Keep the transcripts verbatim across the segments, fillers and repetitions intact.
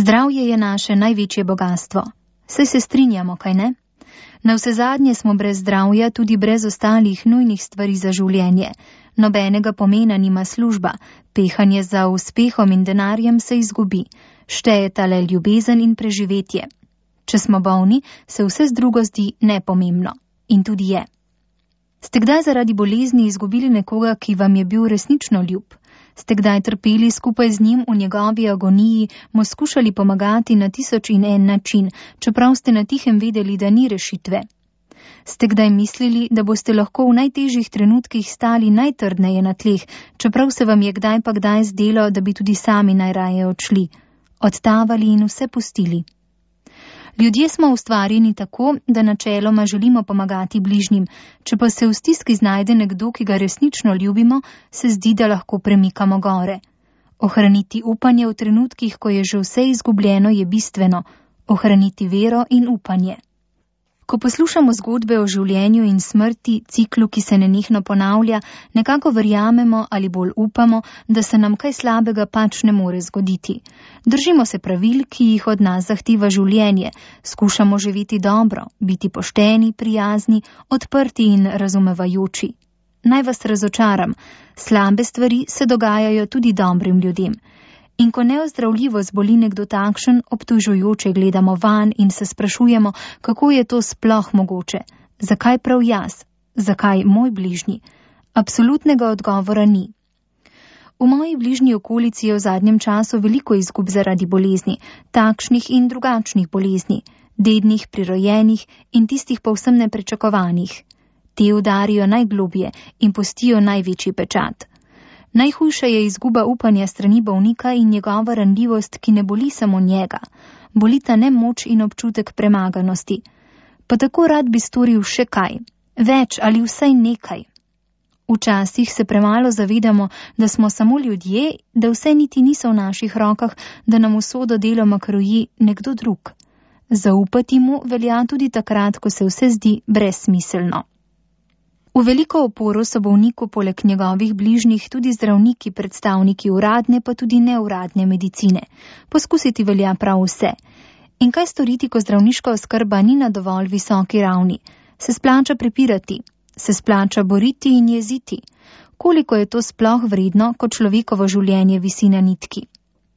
Zdravje je naše največje bogatstvo. Saj se strinjamo, kaj ne? Navsezadnje smo brez zdravja tudi brez ostalih nujnih stvari za življenje. Nobenega pomena nima služba, pehanje za uspehom in denarjem se izgubi, štejeta le ljubezen in preživetje. Če smo bolni, se vse drugo zdi nepomembno. In tudi je. Ste kdaj zaradi bolezni izgubili nekoga, ki vam je bil resnično ljub? Ste kdaj trpeli skupaj z njim v njegovi agoniji, mu skušali pomagati na tisoč in en način, čeprav ste na tihem vedeli, da ni rešitve? Ste kdaj mislili, da boste lahko v najtežjih trenutkih stali najtrdneje na tleh, čeprav se vam je kdaj pa kdaj zdelo, da bi tudi sami najraje odšli, odtavali in vse pustili? Ljudje smo ustvarjeni tako, da načeloma želimo pomagati bližnjim, če pa se v stiski znajde nekdo, ki ga resnično ljubimo, se zdi, da lahko premikamo gore. Ohraniti upanje v trenutkih, ko je že vse izgubljeno, je bistveno. Ohraniti vero in upanje. Ko poslušamo zgodbe o življenju in smrti, ciklu, ki se nenehno ponavlja, nekako verjamemo ali bolj upamo, da se nam kaj slabega pač ne more zgoditi. Držimo se pravil, ki jih od nas zahteva življenje, skušamo živeti dobro, biti pošteni, prijazni, odprti in razumevajoči. Naj vas razočaram, slabe stvari se dogajajo tudi dobrim ljudem. In ko neozdravljivo zboli nekdo takšen, obtožujoče gledamo van in se sprašujemo, kako je to sploh mogoče, zakaj prav jaz, zakaj moj bližnji. Absolutnega odgovora ni. V moji bližnji okolici je v zadnjem času veliko izgub zaradi bolezni, takšnih in drugačnih bolezni, dednih, prirojenih in tistih povsem nepričakovanih. Te udarijo najglobje in pustijo največji pečat. Najhujša je izguba upanja strani bolnika in njegova ranljivost, ki ne boli samo njega. Bolita nemoč in občutek premaganosti. Pa tako rad bi storil še kaj, več ali vsaj nekaj. Včasih se premalo zavedamo, da smo samo ljudje, da vse niti niso v naših rokah, da nam usodo deloma kroji nekdo drug. Zaupati mu velja tudi takrat, ko se vse zdi brezsmiselno. V veliko oporo so bolniku poleg njegovih bližnjih tudi zdravniki, predstavniki uradne pa tudi neuradne medicine. Poskusiti velja prav vse. In kaj storiti, ko zdravniška oskrba ni na dovolj visoki ravni? Se splača prepirati, se splača boriti in jeziti. Koliko je to sploh vredno, ko človekovo življenje visi na nitki?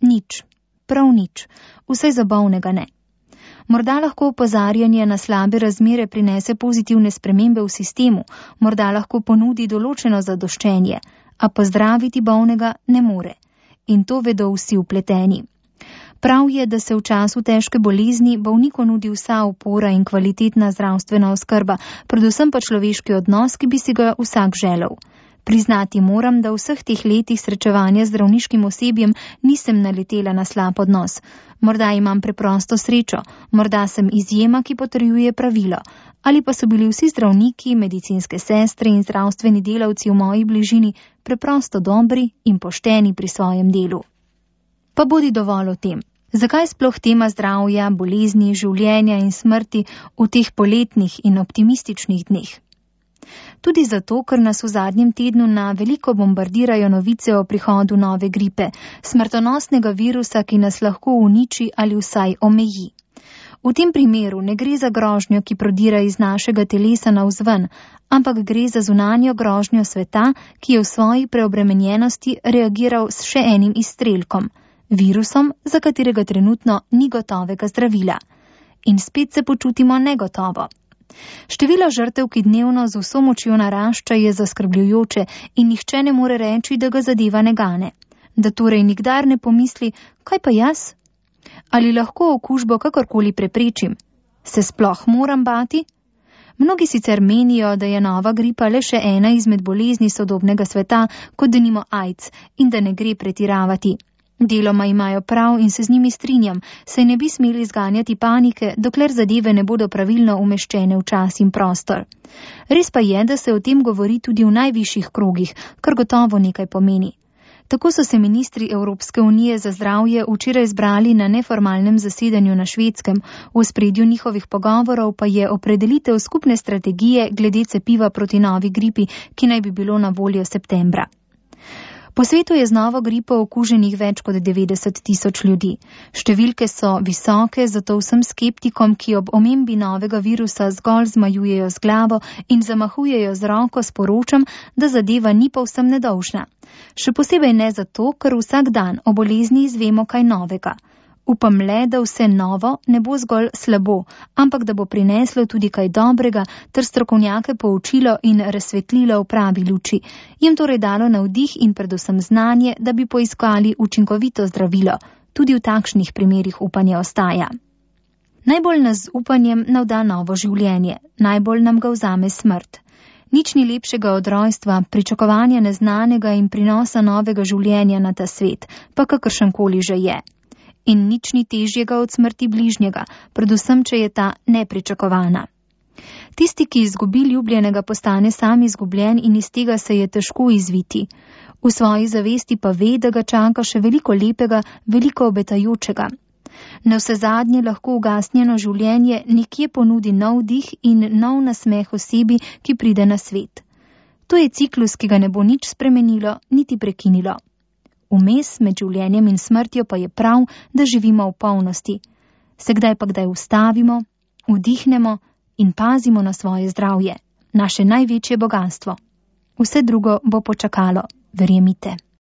Nič, prav nič, vsaj za bolnega ne. Morda lahko opozarjanje na slabe razmere prinese pozitivne spremembe v sistemu, morda lahko ponudi določeno zadoščenje, a pozdraviti bolnega ne more. In to vedo vsi vpleteni. Prav je, da se v času težke bolezni bolniku nudi vsa opora in kvalitetna zdravstvena oskrba, predvsem pa človeški odnos, ki bi si ga vsak želel. Priznati moram, da v vseh teh letih srečevanja z zdravniškim osebjem nisem naletela na slab odnos. Morda imam preprosto srečo, morda sem izjema, ki potrjuje pravilo, ali pa so bili vsi zdravniki, medicinske sestre in zdravstveni delavci v moji bližini preprosto dobri in pošteni pri svojem delu. Pa bodi dovolj o tem. Zakaj sploh tema zdravja, bolezni, življenja in smrti v teh poletnih in optimističnih dneh? Tudi zato, ker nas v zadnjem tednu na veliko bombardirajo novice o prihodu nove gripe, smrtonosnega virusa, ki nas lahko uniči ali vsaj omeji. V tem primeru ne gre za grožnjo, ki prodira iz našega telesa navzven, ampak gre za zunanjo grožnjo sveta, ki je v svoji preobremenjenosti reagiral s še enim izstrelkom, virusom, za katerega trenutno ni gotovega zdravila. In spet se počutimo negotovo. Število žrtev, ki dnevno z vso močjo narašča, je zaskrbljujoče in nihče ne more reči, da ga zadeva ne gane. Da torej nikdar ne pomisli, kaj pa jaz? Ali lahko okužbo kakorkoli preprečim? Se sploh moram bati? Mnogi sicer menijo, da je nova gripa le še ena izmed bolezni sodobnega sveta, kot denimo AIDS, in da ne gre pretiravati. Deloma imajo prav in se z njimi strinjam, saj ne bi smeli zganjati panike, dokler zadeve ne bodo pravilno umeščene v čas in prostor. Res pa je, da se o tem govori tudi v najvišjih krogih, kar gotovo nekaj pomeni. Tako so se ministri Evropske unije za zdravje včeraj zbrali na neformalnem zasedanju na Švedskem, v ospredju njihovih pogovorov pa je opredelitev skupne strategije glede cepiva proti novi gripi, ki naj bi bilo na voljo septembra. Po svetu je z novo gripo okuženih več kot devetdeset tisoč ljudi. Številke so visoke, zato vsem skeptikom, ki ob omembi novega virusa zgolj zmajujejo z glavo in zamahujejo z roko, sporočam, da zadeva ni povsem nedolžna. Še posebej ne zato, ker vsak dan o bolezni izvemo kaj novega. Upam le, da vse novo ne bo zgolj slabo, ampak da bo prineslo tudi kaj dobrega ter strokovnjake poučilo in razsvetlilo v pravi luči, jim torej dalo navdih in predvsem znanje, da bi poiskali učinkovito zdravilo. Tudi v takšnih primerih upanje ostaja. Najbolj nas z upanjem navda novo življenje, najbolj nam ga vzame smrt. Nič ni lepšega od rojstva, pričakovanja neznanega in prinosa novega življenja na ta svet, pa kakršenkoli že je. In nič ni težjega od smrti bližnjega, predvsem, če je ta nepričakovana. Tisti, ki izgubi ljubljenega, postane sam izgubljen in iz tega se je težko izviti. V svoji zavesti pa ve, da ga čaka še veliko lepega, veliko obetajočega. Navsezadnje lahko ugasnjeno življenje nekje ponudi nov dih in nov nasmeh osebi, ki pride na svet. To je ciklus, ki ga ne bo nič spremenilo, niti prekinilo. Vmes med življenjem in smrtjo pa je prav, da živimo v polnosti. Se kdaj pa kdaj ustavimo, vdihnemo in pazimo na svoje zdravje, naše največje bogastvo. Vse drugo bo počakalo, verjemite.